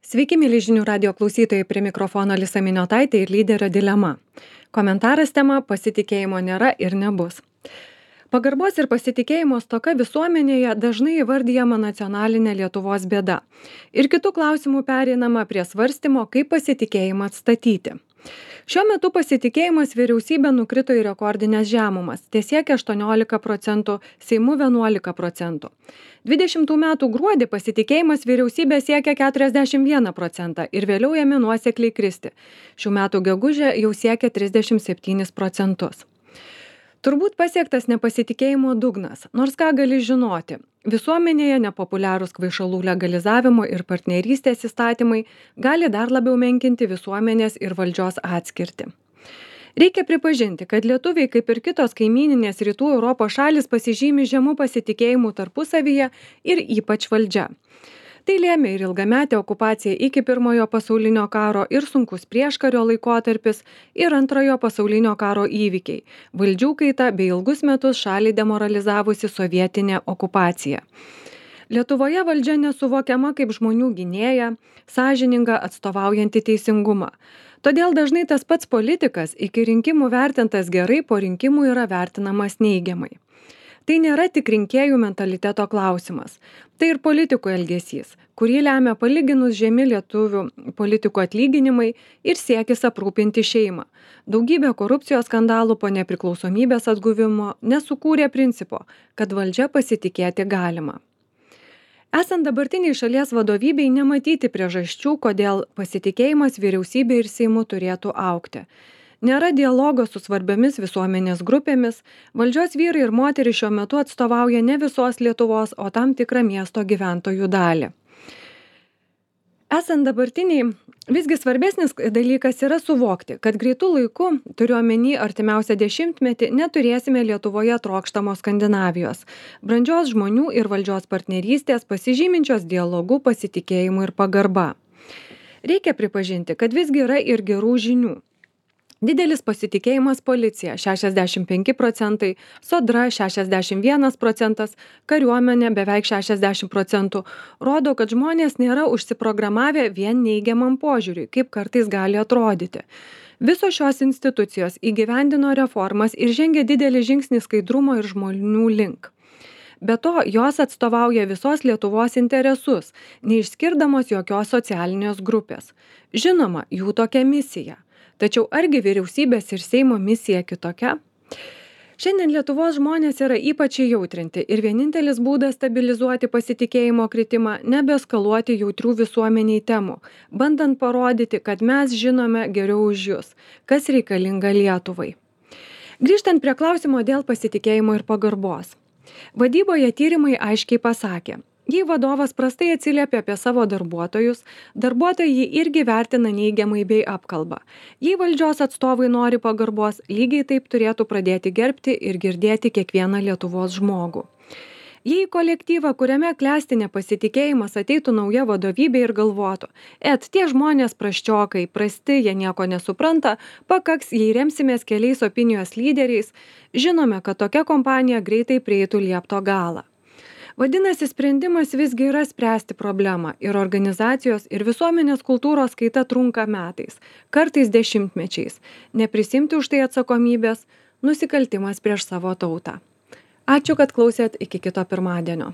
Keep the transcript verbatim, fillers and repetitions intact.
Sveiki, mėly žinių radio klausytojai, prie mikrofono Alisa Miniotaitė ir lyderio dilema. Komentaras tema – pasitikėjimo nėra ir nebus. Pagarbos ir pasitikėjimo stoka visuomenėje dažnai įvardyjama nacionalinė Lietuvos bėda. Ir kitų klausimų pereinama prie svarstymo, kaip pasitikėjimą atstatyti. Šiuo metu pasitikėjimas vyriausybė nukrito į rekordinės žemumas, tiesiekia aštuoniolika procentų, Seimu vienuolika procentų. dvidešimtų metų gruodį pasitikėjimas vyriausybė siekia keturiasdešimt vieną procentą ir vėliau ėmė nuosekliai kristi. Šių metų gegužę jau siekia trisdešimt septynis procentus. Turbūt pasiektas nepasitikėjimo dugnas, nors ką gali žinoti. Visuomenėje nepopuliarūs kvaišalų legalizavimo ir partnerystės įstatymai gali dar labiau menkinti visuomenės ir valdžios atskirtį. Reikia pripažinti, kad lietuviai, kaip ir kitos kaimyninės rytų Europos šalis, pasižymi žemų pasitikėjimų tarpusavyje ir ypač valdžia. Tai lėmė ir ilgametė okupacija iki pirmojo pasaulinio karo ir sunkus prieškario laikotarpis ir antrojo pasaulinio karo įvykiai, valdžių kaita bei ilgus metus šalį demoralizavusi sovietinė okupacija. Lietuvoje valdžia nesuvokiama kaip žmonių gynėja, sąžininga, atstovaujanti teisingumą. Todėl dažnai tas pats politikas iki rinkimų vertintas gerai, po rinkimų yra vertinamas neigiamai. Tai nėra tik rinkėjų mentaliteto klausimas. Tai ir politikų elgesys, kurį lemia palyginus žemi lietuvių politikų atlyginimai ir siekis aprūpinti šeimą. Daugybė korupcijos skandalų po nepriklausomybės atguvimo nesukūrė principo, kad valdžia pasitikėti galima. Esant dabartiniai šalies vadovybei nematyti priežasčių, kodėl pasitikėjimas vyriausybė ir Seimu turėtų augti. Nėra dialogo su svarbiomis visuomenės grupėmis, valdžios vyrai ir moterys šiuo metu atstovauja ne visos Lietuvos, o tam tikrą miesto gyventojų dalį. Esant dabartiniai, visgi svarbesnis dalykas yra suvokti, kad greitų laikų, turiu omeny artimiausią dešimtmetį, neturėsime Lietuvoje trokštamos Skandinavijos, brandžios žmonių ir valdžios partnerystės, pasižyminčios dialogu, pasitikėjimu ir pagarba. Reikia pripažinti, kad visgi yra ir gerų žinių. Didelis pasitikėjimas policija – šešiasdešimt penki procentai, sodra – šešiasdešimt vienas procentas, kariuomenė beveik šešiasdešimt procentų, rodo, kad žmonės nėra užsiprogramavę vien neigiamam požiūriui, kaip kartais gali atrodyti. Visos šios institucijos įgyvendino reformas ir žengė didelį žingsnį skaidrumo ir žmonių link. Be to, jos atstovauja visos Lietuvos interesus, neišskirdamos jokios socialinės grupės. Žinoma, jų tokia misija. Tačiau argi vyriausybės ir Seimo misija kitokia? Šiandien Lietuvos žmonės yra ypač įjautrinti ir vienintelis būdas stabilizuoti pasitikėjimo kritimą – nebeskaluoti jautrių visuomeniai temų, bandant parodyti, kad mes žinome geriau už jus, kas reikalinga Lietuvai. Grįžtant prie klausimo dėl pasitikėjimo ir pagarbos. Vadyboje tyrimai aiškiai pasakė, jei vadovas prastai atsiliepia apie savo darbuotojus, darbuotojai jį irgi vertina neigiamai bei apkalba. Jei valdžios atstovai nori pagarbos, lygiai taip turėtų pradėti gerbti ir girdėti kiekvieną Lietuvos žmogų. Jei į kolektyvą, kuriame klesti nepasitikėjimas, ateitų nauja vadovybė ir galvotų, et tie žmonės prasčiokai, prasti, jie nieko nesupranta, pakaks, jei remsimės keliais opinijos lyderiais, žinome, kad tokia kompanija greitai prieitų liepto galą. Vadinasi, sprendimas visgi yra spręsti problemą ir organizacijos ir visuomenės kultūros kaita trunka metais, kartais dešimtmečiais. Neprisimti už tai atsakomybės – nusikaltimas prieš savo tautą. Ačiū, kad klausėt, iki kito pirmadienio.